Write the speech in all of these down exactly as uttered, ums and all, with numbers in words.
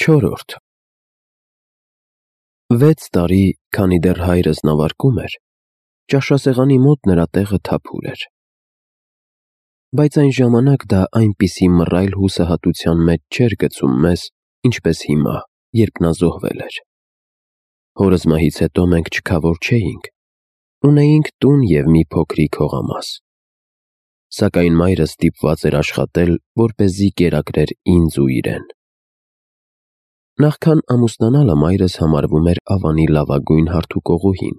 Չորրորդ Վեց տարի, քանի դեռ հայրս նավարկում էր, ճաշասեղանի մոտ նրա տեղը թափուր էր, բայց այն ժամանակ դա այնպիսի մռայլ հուսահատության մեջ չէր գցում մեզ, ինչպես հիմա, երբ նա զոհվել էր։ Հորս մահից հետո մենք չքավոր չէինք, ունեինք տուն և մի փոքրիկ հողամաս, սակայն մայրս ստիպված էր աշխատել, որպեսզի կերակրեր ինձ ու իրեն։ Նախքան ամուսնանալը մայրս համարվում էր Ավանի լավագույն հարթուկողուհին,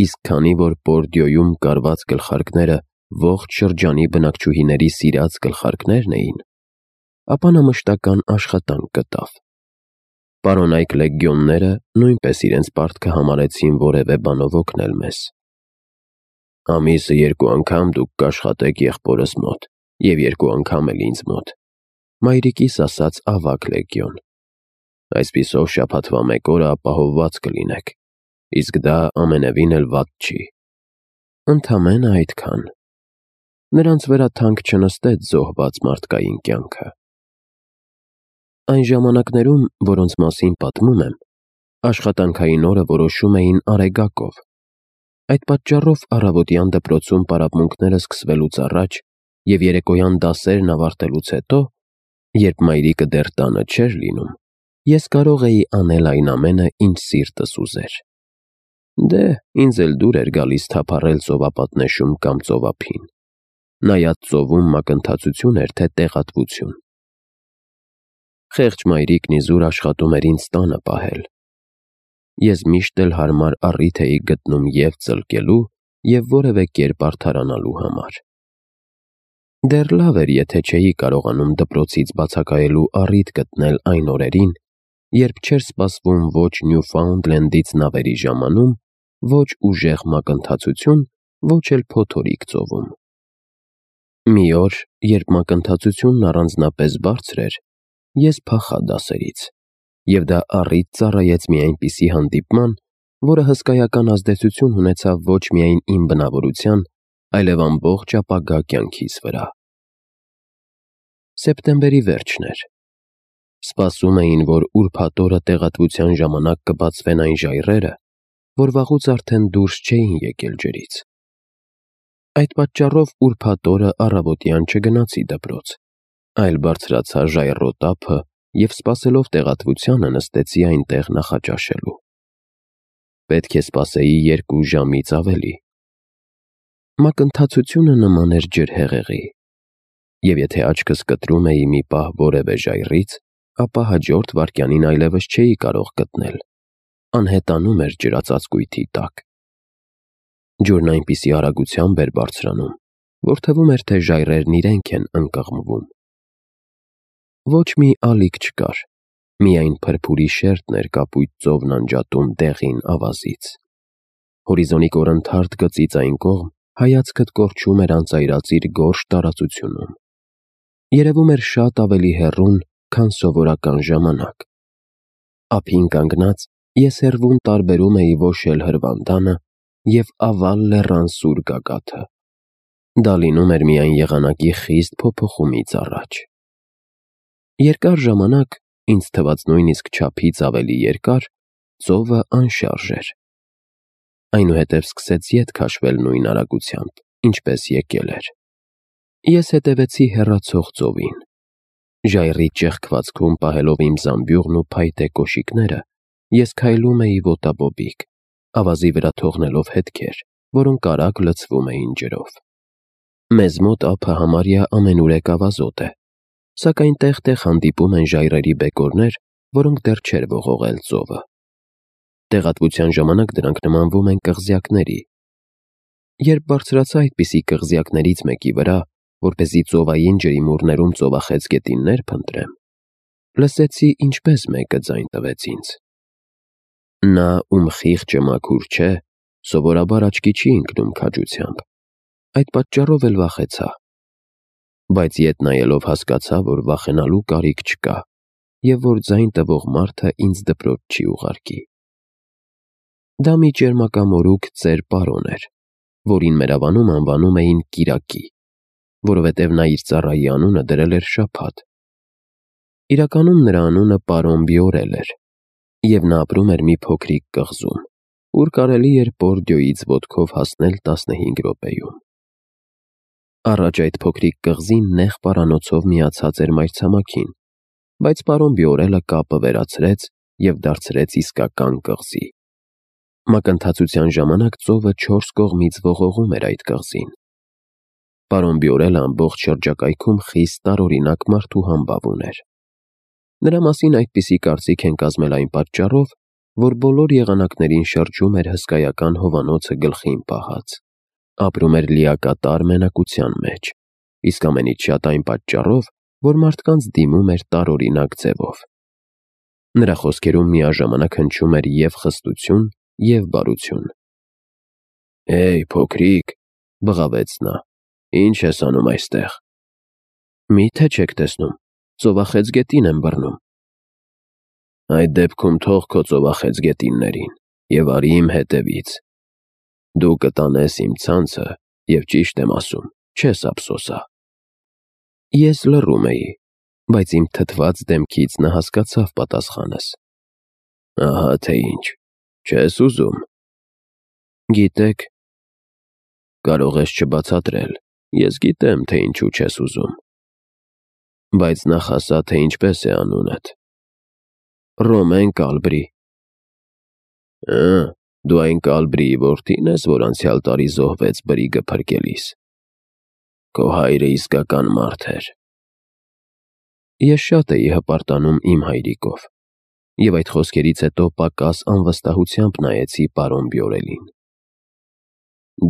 իսկ քանի որ Բորդյոյում կարված գլխարկները ողջ շրջանի բնակչուհիների սիրած գլխարկներն էին, ապա նա մշտական աշխատանք գտավ։ Պարոնայք լեգիոնները նույնպես իրենց պարտքը համարեցին որևէ բանով օգնել մեզ։ Ամիսը երկու անգամ դուք կաշխատեք եղբորս մոտ և երկու անգամ էլ ինձ մոտ, մայրիկիս ասաց ավագ լեգիոն, այսպիսով շաբաթվա մեկ օրը ապահովված կլինեք, իսկ դա ամենևին էլ վատ չի։ Ընդամենը այդքան։ Նրանց վրա թանկ չնստեց զոհված մարդկային կյանքը։ Այն ժամանակներում, որոնց մասին պատմում եմ, աշխատանքային օրը որոշում էին արեգակով։ Այդ պատճառով առավոտյան դպրոցում պարապմունքները սկսվելուց առաջ և երեկոյան դասերն ավարտելուց հետո, երբ մայրիկը դեռ տանը չէր լինում, ես կարող էի անել այն ամենը, ինչ սիրտս ուզեր։ Դե, ինձ էլ դուր էր գալիս թափառել ծովապատնեշում կամ ծովափին, նայած ծովում մակընթացություն էր, թե տեղատվություն։ Խեղճ մայրիկն իզուր աշխատում էր ինձ տանը պահել։ Ես միշտ էլ հարմար առիթ էի գտնում և ծլկելու, և որևէ կերպ արդարանալու համար։ Դեռ լավ էր, եթե չէի կարողանում դպրոցից բացակայելու առիթ գտնել այն օրերին, երբ չէր սպասվում ոչ Նյուֆաունդլենդից նավերի ժամանում, ոչ ուժեղ մակընթացություն, ոչ էլ փոթորիկ ծովում։ Մի օր, երբ մակընթացությունն առանձնապես բարձր էր, ես փախա դասերից, և դա առիթ ծառայեց մի այնպիսի հանդիպման, որը հսկայական ազդեցություն ունեցավ ոչ միայն իմ բնավորության, այլև ամբողջ ապագա կյանքիս վրա։ Սեպտեմբերի վերջն էր։ Սպասում էին, որ ուրբաթ օրը տեղատվության ժամանակ կբացվեն այն ժայռերը, որ վաղուց արդեն դուրս չէին եկել ջրից։ Այդ պատճառով ուրբաթ օրը առավոտյան չգնացի դպրոց, այլ բարձրացա ժայռոտ ափը և սպասելով տեղատվությանը նստեցի այնտեղ նախաճաշելու։ Պետք է սպասեի երկու ժամից ավելի։ Մակընթացությունը նման էր ջրհեղեղի, և եթե աչքս կտրում էի մի պահ որևէ ժայռից, ապա հաջորդ վայրկյանին այլևս չէի կարող գտնել, անհետանում էր ջրածածկույթի տակ։ Ջուրն այնպիսի արագությամբ էր բարձրանում, որ թվում էր, թե ժայռերն իրենք են ընկղմվում։ Ոչ մի ալիք չկար, միայն փրփուրի շերտն էր կապույտ ծովն անջատում դեղին ավազից։ Հորիզոնի կորնթարթ գծից այն կողմ հայացքդ կորչում էր անծայրածիր գորշ տարածությունում։ Երևում էր շատ ավելի հեռուն, քան սովորական ժամանակ։ Ափին կանգնած ես հեռվում տարբերում էի ոշել հրվանդանը և ավալ լեռան սուր գագաթը։ Դա լինում էր միայն եղանակի խիստ փոփոխումից առաջ։ Երկար ժամանակ, ինձ թվաց նույնիսկ չափից ավելի երկար, ծովը անշարժ էր։ Այնուհետև սկսեց ետ քաշվել նույն արագությամբ, ինչպես եկել էր։ Ես հետևեցի հեռացող ծովին։ Ժայռի ճեղքվածքում պահելով իմ զամբյուղն ու փայտե կոշիկները, ես քայլում էի ոտաբոբիկ, ավազի վրա թողնելով հետքեր, որոնք արագ լցվում էին ջրով։ Մեզ մոտ ափը համարյա ամենուրեք ավազոտ է, սակայն տեղ-տեղ հանդիպում են ժայռերի բեկորներ, որոնք դեռ չէր ողողել ծովը։ Տեղատվության ժամանակ դրանք նմանվում են կղզյակների։ Երբ բարձրացա այդպիսի կղզյակներից մեկի վրա, որպեսզի ծովային ջրիմուռներում ծովախեց գետիններ փնտրեմ, լսեցի, ինչպես մեկը ձայն տվեց ինձ։ Նա, ում խիղճը մաքուր չէ, սովորաբար աչքի չի ընկնում քաջությամբ, այդ պատճառով էլ վախեցա։ Բայց ետ նայելով հասկացա, որ վախենալու կարիք չկա, և որ ձայն տվող մարդը ինձ դպրոց չի ուղարկի։ Դա մի ճերմակամորուք ծեր պարոն էր, որին մեր ավանում անվանում էին Կիրակի, որովհետև նա իր ծառայի անունը դրել էր շաբաթ։ Իրականում նրա անունը պարոն Բիորել էր, և նա ապրում էր մի փոքրիկ կղզում, ուր կարելի էր Պորդիոյից ոտքով հասնել տասնհինգ րոպեում։ Առաջ այդ փոքրիկ կղզին նեղ պարանոցով միացած էր մայրցամաքին, բայց պարոն Բիորելը կապը վերացրեց և դարձրեց իսկական կղզի։ Մակընթացության ժամանակ ծովը չորս կողմից ողողում էր այդ կղզին։ Պարոն Բիորելը ամբողջ շրջակայքում խիստ տարօրինակ մարդու համբավ ուներ։ Նրա մասին այդպիսի կարծիք են կազմել այն պատճառով, որ բոլոր եղանակներին շրջում էր հսկայական հովանոցը գլխին պահած, ապրում էր լիակատար մենակության մեջ, իսկ ամենից շատ այն պատճառով, որ մարդկանց դիմում էր տարօրինակ ձևով։ Նրա խոսքերում միաժամանակ հնչում էր և խստություն, և բարություն։ «Հեյ, փոքրիկ», բղավեց նա, «ինչ ես անում այստեղ»։ «Մի՞թե չեք տեսնում, ծովախեցգետին եմ բռնում»։ «Այդ դեպքում թող քո ծովախեցգետիններին և արի իմ հետևից։ Դու կտանես իմ ցանցը և ճիշտ եմ ասում, չես ափսոսա»։ Ես լռում էի, բայց իմ թթված դեմքից նա հասկացավ պատասխանս։ «Ահա թե ինչ, չես ուզում»։ «Գիտեք»։ «Կարող ես չբացատրել, ես գիտեմ, թե ինչու չես ուզում։ Բայց նախ ասա, թե ինչպես է անունդ»։ «Ռոմեն Կալբրի»։ «Հը, դու այն Կալբրիի որդի՞ն ես, որ անցյալ տարի զոհվեց բրիգը փրկելիս։ Քո հայրը իսկական մարդ էր»։ Ես շատ էի հպարտանում իմ հայրիկով, և այդ խոսքերից հետո պակաս անվստահությամբ նայեցի պարոն Բիորելին։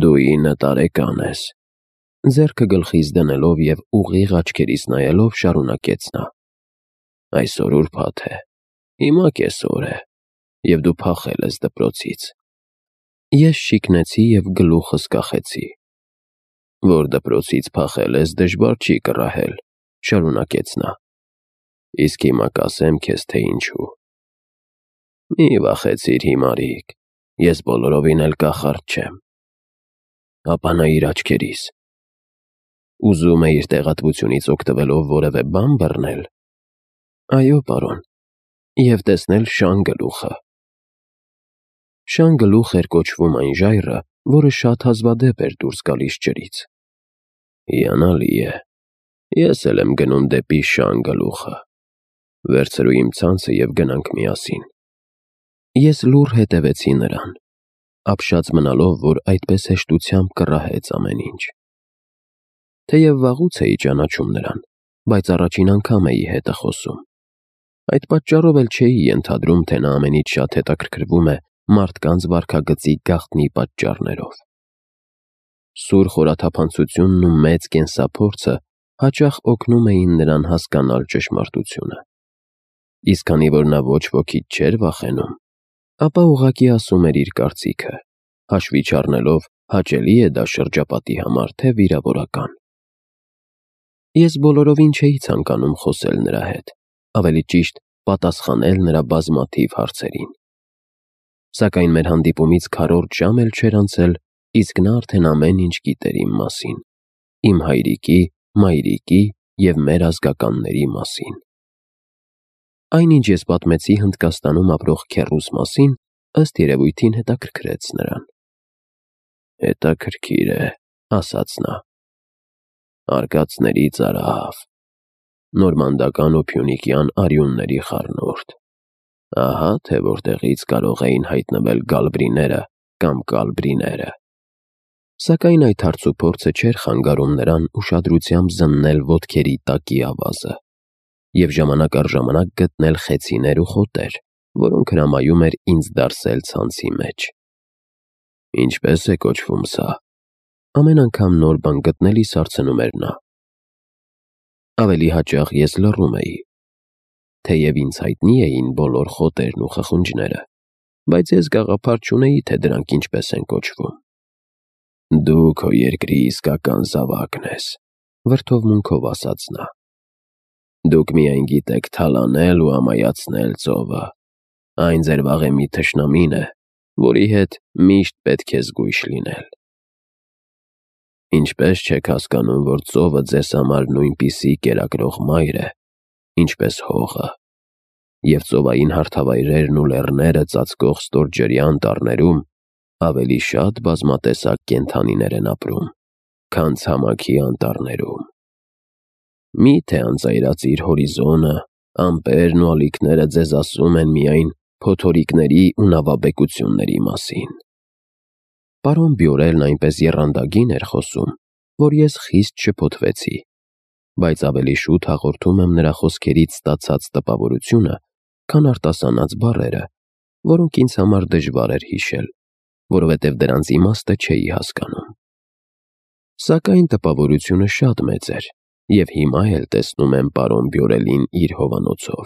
«Դու ինը տարեկան ես», ձեռքը գլխիս դնելով և ուղիղ աչքերիս նայելով շարունակեց նա։ «Այսօր ուրբաթ է, հիմա կեսօր է, և դու փախել ես դպրոցից»։ Ես շիկնեցի և գլուխս կախեցի։ «Որ դպրոցից փախել ես, դժվար չի կռահել», շարունակեց նա։ «Իսկ հիմա կասեմ քեզ, թե ինչու։ Մի վախեցիր, հիմարիկ, ես բոլորովին էլ կախարդ չեմ»։ «Ապա նայիր աչքերիս»։ «Ուզում էիր տեղատվությունից օգտվելով որևէ բան բռնել»։ «Այո, պարոն, և տեսնել շան գլուխը»։ Շան գլուխ էր կոչվում այն ժայռը, որը շատ հազվադեպ էր դուրս գալիս ջրից։ «Հիանալի է, ես էլ եմ գնում դեպի շան գլուխը։ Վերցրու իմ ցանցը և գնանք միասին»։ Ես լուռ հետևեցի նրան, ապշած մնալով, որ այդպես հեշտությամբ կռահեց ամեն ինչ։ Թեև վաղուց էի ճանաչում նրան, բայց առաջին անգամ էի հետը խոսում։ Այդ պատճառով էլ չէի ենթադրում, թե նա ամենից շատ հետաքրքրվում է մարդկանց վարքագծի գաղտնի պատճառներով։ Սուր խորաթափանցությունն ու մեծ կենսափորձը հաճախ օգնում էին նրան հասկանալ ճշմարտությունը։ Իսկ քանի որ նա ոչ ոքից չէր վախենում, ապա ուղղակի ասում էր իր կարծիքը, հաշվի չառնելով հաճելի է դա շրջապատի համար, թե վիրավորական։ Ես բոլորովին չէի ցանկանում խոսել նրա հետ, ավելի ճիշտ պատասխանել նրա բազմաթիվ հարցերին։ Սակայն մեր հանդիպումից քառորդ ժամ էլ չէր անցել, իսկ նա արդեն ամեն ինչ գիտեր իմ մասին, իմ հայրիկի, մայրիկի և մեր ազգականների մասին։ Այն, ինչ ես պատմեցի Հնդկաստանում ապրող քեռուս մասին, ըստ երևույթին հետաքրքրեց նրան։ «Հետաքրքիր է», ասաց նա։ «Արկածների ծարավ, նորմանդական ու փյունիկյան արյունների խառնուրդ։ Ահա թե որտեղից կարող էին հայտնվել գալբրիները կամ կալբրիները»։ Սակայն այդ հարցուփորձը չէր խանգարում նրան ուշադրությամբ զննել ոտքերի տակի ավազը և ժամանակ առ ժամանակ գտնել խեցիներ ու խոտեր, որոնք հրամայում էր ինձ դարսել ցանցի մեջ։ «Ինչպե՞ս է կոչվում սա»։ Ամեն անգամ նոր բան գտնելիս հարցնում էր նա։ Ավելի հաճախ ես լռում էի։ Թեև ինձ հայտնի էին բոլոր խոտերն ու խխունջները, բայց ես գաղափար չունեի, թե դրանք ինչպես են կոչվում։ «Դու քո երկրի իսկական զավակն ես», վրդովմունքով ասաց նա։ «Դուք միայն գիտեք թալանել ու ամայացնել ծովը։ Այն ձեր վաղեմի թշնամին է, որի հետ միշտ պետք է զգույշ լինել։ Ինչպե՞ս չեք հասկանում, որ ծովը ձեզ համար նույնպիսի կերակրող մայր է, ինչպես հողը, և ծովային հարթավայրերն ու լեռները ծածկող ստորջրյա անտառներում ավելի շատ բազմատեսակ կենդանիներ են ապրում, քան ցամաքի անտառներում։ Մի՞թե անծայրածիր հորիզոնը, ամպերն ու ալիքները ձեզ ասում են միայն փոթորիկների ու նավաբեկությունների մասին։ Պարոն Բյորելն այնպես եռանդագին էր խոսում, որ ես խիստ շփոթվեցի, բայց ավելի շուտ հաղորդում եմ նրա խոսքերից ստացած տպավորությունը, քան արտասանած բառերը, որոնք ինձ համար դժվար էր հիշել, որովհետև դրանց իմաստը չէի հասկանում։ Սակայն տպավորությունը շատ մեծ էր, և հիմա էլ տեսնում եմ պարոն Բյորելին իր հովանոցով,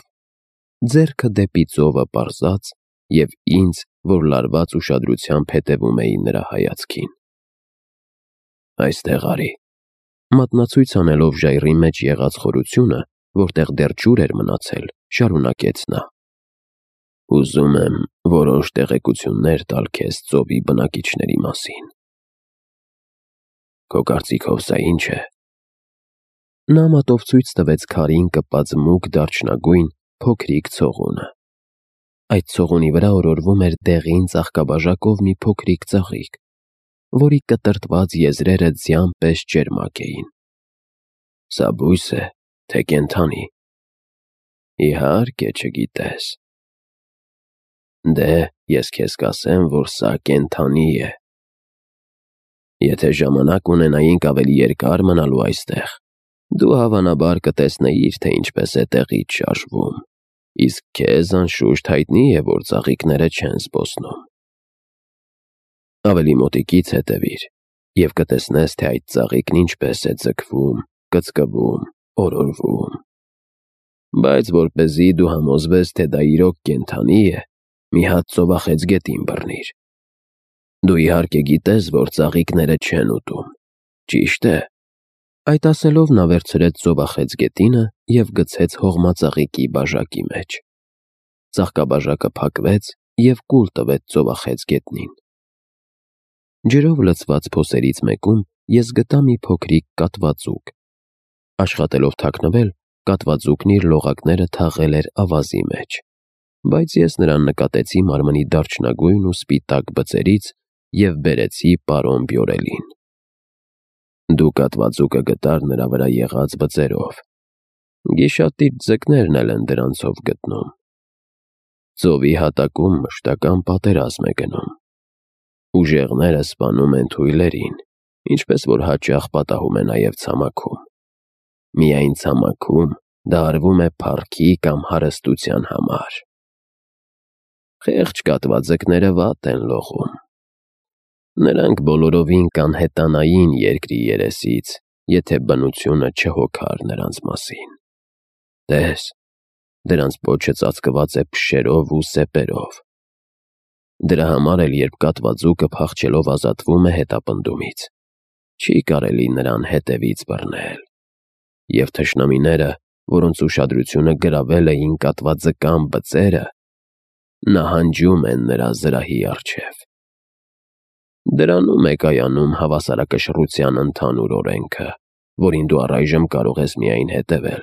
ձեռքը դեպի ծովը պարզած և ինձ, որ լարված ուշադրությամբ հետևում էի նրա հայացքին։ «Այստեղ արի», մատնացույց անելով ժայռի մեջ եղած խորությունը, որտեղ դեռ ջուր էր մնացել, շարունակեց նա. «Ուզում եմ որոշ տեղեկություններ տալ քեզ ծովի բնակիչների մասին»։ «Քո կարծիքով սա ի՞նչ է»։ Նա մատով ցույց տվեց քարին կպած մուգ դարչնագույն փոքրիկ ցողունը։ Այդ ցողունի վրա օրորվում էր դեղին ծաղկաբաժակով մի փոքրիկ ծաղիկ, որի կտրտված եզրերը ձյան պես ճերմակ էին։ «Սա բույս է, թե կենդանի»։ «Իհարկե չգիտես»։ «Դե, ես քեզ կասեմ, որ սա կենդանի է։ Եթե ժամանակ ունենայինք ավելի երկար մնալու այստեղ, դու հավանաբար կտեսնեիր, թե ինչպես է տեղից շարժվում, իսկ քեզ անշուշտ հայտնի է, որ ծաղիկները չեն զբոսնում։ Ավելի մոտիկից հետևիր, և կտեսնես, թե այդ ծաղիկն ինչպես է ձգվում, կծկվում, օրորվում։ Բայց որպեսզի դու համոզվես, թե դա իրոք կենդանի է, մի հատ ծովախեցգետին բռնիր։ Դու իհարկե գիտես, որ ծաղիկները չեն ուտում, ճիշտ է»։ Այդ ասելով նա վերցրեց ծովախեցգետինը և գցեց հողմածաղիկի բաժակի մեջ։ Ծաղկաբաժակը փակվեց և կուլ տվեց ծովախեցգետնին։ Ջրով լցված փոսերից մեկում ես գտա մի փոքրիկ կատվածուկ։ Աշխատելով թաքնվել, կատվածուկն իր լողակները թաղել էր ավազի մեջ, բայց ես նրան նկատեցի մարմնի դարչնագույն ու սպիտակ բծերից և բերեցի պարոն Բյորելին։ Դու կատվածուկը գտար նրա վրա եղած բծերով։ Գիշատիչ ձկներն էլ են դրանցով գտնում։ Ծովի հատակում մշտական պատերազմ է գնում։ Ուժեղները սպանում են թույլերին, ինչպես որ հաճախ պատահում է նաև ցամաքում։ Միայն ցամաքում դա արվում է փառքի կամ հարստության համար։ Խեղճ կատվաձկները վատ են լողում։ Նրանք բոլորովին կանհետանային երկրի երեսից, եթե բնությունը չհոգար նրանց մասին։ Տես, դրանց պոչը ծածկված է փշերով ու սեպերով։ Դրա համար էլ երբ կատվածուկը փախչելով ազատվում է հետապնդումից, չի կարելի նրան հետևից բռնել։ Եվ թշնամիները, որոնց ուշադրությունը գրավել էին կատվաձկան բծերը, նահանջում են նրա զրահի առջև։ Դրանում է կայանում հավասարակշռության ընդհանուր օրենքը, որին դու առայժմ կարող ես միայն հետևել,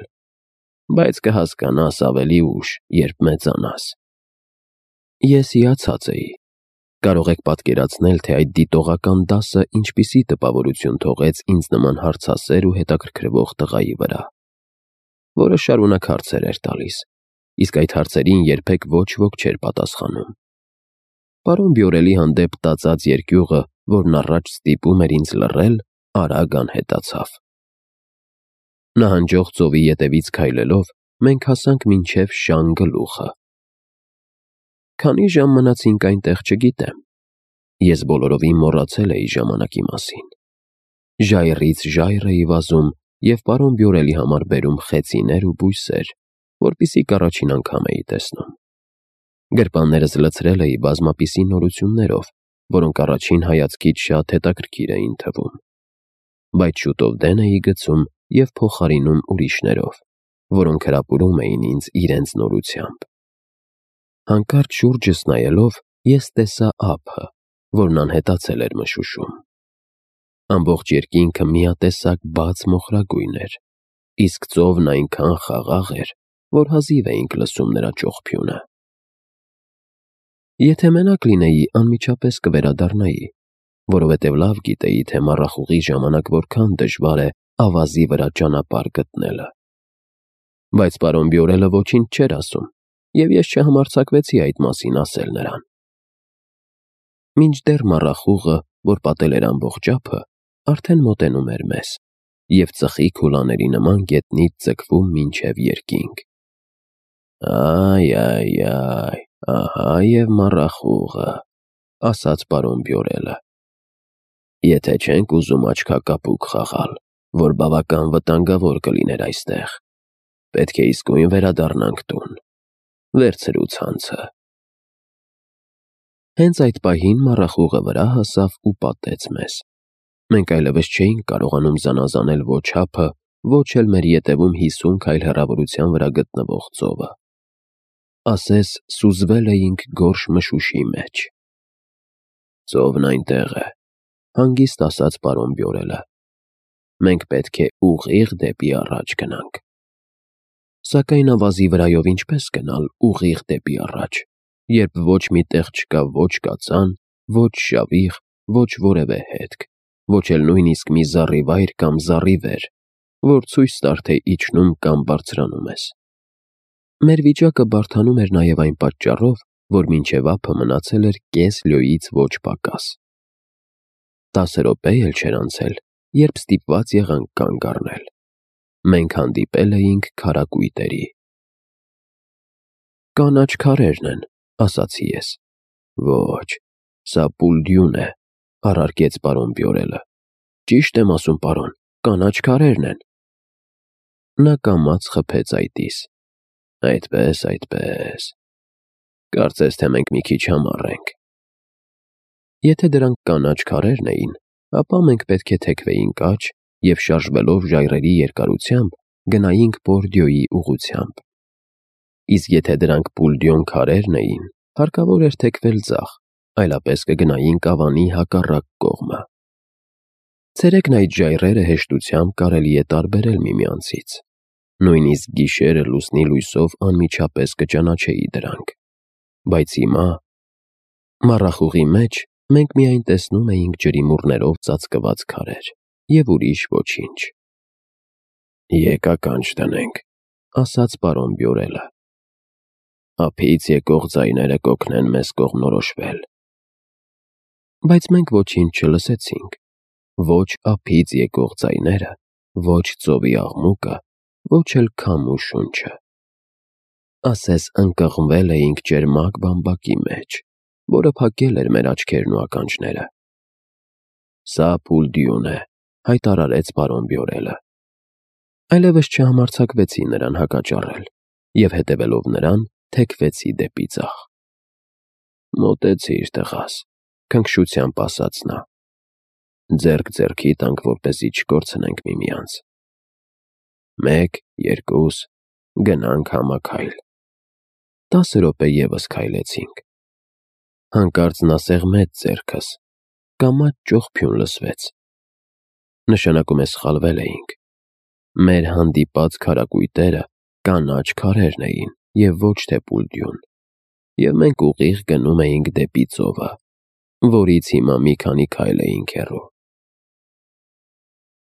բայց կհասկանաս ավելի ուշ, երբ մեծանաս։ Ես հիացած էի։ Կարող եք պատկերացնել, թե այդ դիտողական դասը ինչպիսի տպավորություն թողեց ինձ նման հարցասեր ու հետաքրքրվող տղայի վրա, որը շարունակ հարցեր էր տալիս, իսկ այդ հարցերին երբեք ոչ ոք չէր պատասխանում։ Պարոն Բյորելի հանդեպ տածած երկյուղը, որն առաջ ստիպում էր ինձ լռել, արագ անհետացավ։ Նահանջող ծովի ետևից քայլելով, մենք հասանք մինչև Շան գլուխը։ Քանի ժամ մնացինք այնտեղ, չգիտեմ։ Ես բոլորովին մոռացել էի ժամանակի մասին։ Ժայռից ժայռ էի վազում և պարոն Բյորելի համար բերում խեցիներ ու բույսեր, որպեսզի առաջին անգամ էի տեսնում։ Գրպաններս լցրել էի բազմապիսի նորություններով, որոնք առաջին հայացքից շատ հետաքրքիր էին թվում։ Բայց շուտով դեն էի գցում և փոխարինում ուրիշներով, որոնք հրապուրում էին ինձ իրենց նորությամբ։ Հանկարծ շուրջս նայելով, ես տեսա ափը, որն անհետացել էր մշուշում։ Ամբողջ երկինքը միատեսակ բաց մոխրագույն էր, իսկ ծովն այնքան խաղաղ էր, որ հազիվ էինք լսում նրա ճողփյունը։ Եթե մենակ լինեի, անմիջապես կվերադառնայի, որովհետև լավ գիտեի, թե մառախուղի ժամանակ որքան դժվար է ավազի վրա ճանապարհ գտնելը։ Բայց պարոն Բյորելը ոչինչ չէր ասում, և ես չհամարձակվեցի այդ մասին ասել նրան։ Մինչդեռ մառախուղը, որ պատել էր ամբողջ ափը, արդեն մոտենում էր մեզ, և ծխի քուլաների նման գետնից ձգվում մինչև երկինք։ «Այ-այ-այ, ահա և մառախուղը», ասաց պարոն Բյորելը։ «Եթե չենք ուզում աչքակապուկ խաղալ, որ բավական վտանգավոր կլիներ այստեղ, պետք է իսկույն վերադառնանք տուն։ Վերցրու ցանցը»։ Հենց այդ պահին մառախուղը վրա հասավ ու պատեց մեզ։ Մենք այլևս չէինք կարողանում զանազանել ոչ ափը, ոչ էլ մեր ետևում հիսուն քայլ հեռավորության վրա գտնվող ծովը։ Ասես սուզվել էինք գորշ մշուշի մեջ։ «Ծովն այնտեղ է», հանգիստ ասաց պարոն Բյորելը։ «Մենք պետք է ուղիղ դեպի առաջ գնանք»։ Սակայն ավազի վրայով ինչպես գնալ ուղիղ դեպի առաջ, երբ ոչ մի տեղ չկա ոչ կածան, ոչ շավիղ, ոչ որևէ հետք, ոչ էլ նույնիսկ մի զառիվայր կամ զառիվեր, որ ցույց տար, թե իջնում կամ բարձրանում ես։ Մեր վիճակը բարդանում էր նաև այն պատճառով, որ մինչև ափը մնացել էր կես լյոյից ոչ պակաս։ Տասը րոպե էլ չէր անցել, երբ ստիպված եղանք կանգ առնել։ Մենք հանդիպել էինք քարակույտերի։ «Կանաչ քարերն են», ասացի ես։ «Ոչ, սա Պուլդյուն է», առարկեց պարոն Բյորելը։ «Ճիշտ եմ ասում, պարոն, կանաչ քարերն են»։ Նա կամաց խփեց այտիս։ «Այդպես, այդպես, կարծես թե մենք մի քիչ համառ ենք»։ Եթե դրանք կանաչ քարերն էին, ապա մենք պետք է թեքվեինք աջ և շարժվելով ժայռերի երկարությամբ գնայինք Բորդյոյի ուղղությամբ։ Իսկ եթե դրանք Պուլդյոն քարերն էին, հարկավոր էր թեքվել ձախ, այլապես կգնայինք ավանի հակառակ կողմը։ Ցերեկն այդ ժայռերը հեշտությամբ կարելի է տարբերել միմյանցից։ Նույնիսկ գիշերը լուսնի լույսով անմիջապես կճանաչեի դրանք։ Բայց հիմա… Մառախուղի մեջ մենք միայն տեսնում էինք ջրիմուռներով ծածկված քարեր և ուրիշ ոչինչ։ «Եկ ականջ դնենք», ասաց պարոն Բյորելը։ «Ափից եկող ձայները կօգնեն մեզ կողմնորոշվել»։ Բայց մենք ոչինչ չլսեցինք։ Ոչ ափից եկող ձայները, ոչ ծովի աղմուկը, ոչ էլ քամու շունչը։ Ասես ընկղմվել էինք ճերմակ բամբակի մեջ, որը փակել էր մեր աչքերն ու ականջները։ «Սա Պուլդյուն է», հայտարարեց պարոն Բյորելը։ Այլևս չհամարձակվեցի նրան հակաճառել և հետևելով նրան թեքվեցի դեպի ձախ։ «Մոտեցիր, տղաս», քնքշությամբ ասաց նա։ «Ձեռք ձեռքի տանք, որպեսզի չկորցնենք միմյանց։ Մեկ, երկուս, գնանք համաքայլ»։ Տասը րոպե ևս քայլեցինք։ Հանկարծ նա սեղմեց ձեռքս, կամաց ճողփյուն լսվեց։ Նշանակում է սխալվել էինք։ Մեր հանդիպած քարակույտերը կանաչ քարերն էին և ոչ թե Պուլդյուն, և մենք ուղիղ գնում էինք դեպի ծովը, որից հիմա մի քանի քայլ էինք հեռու։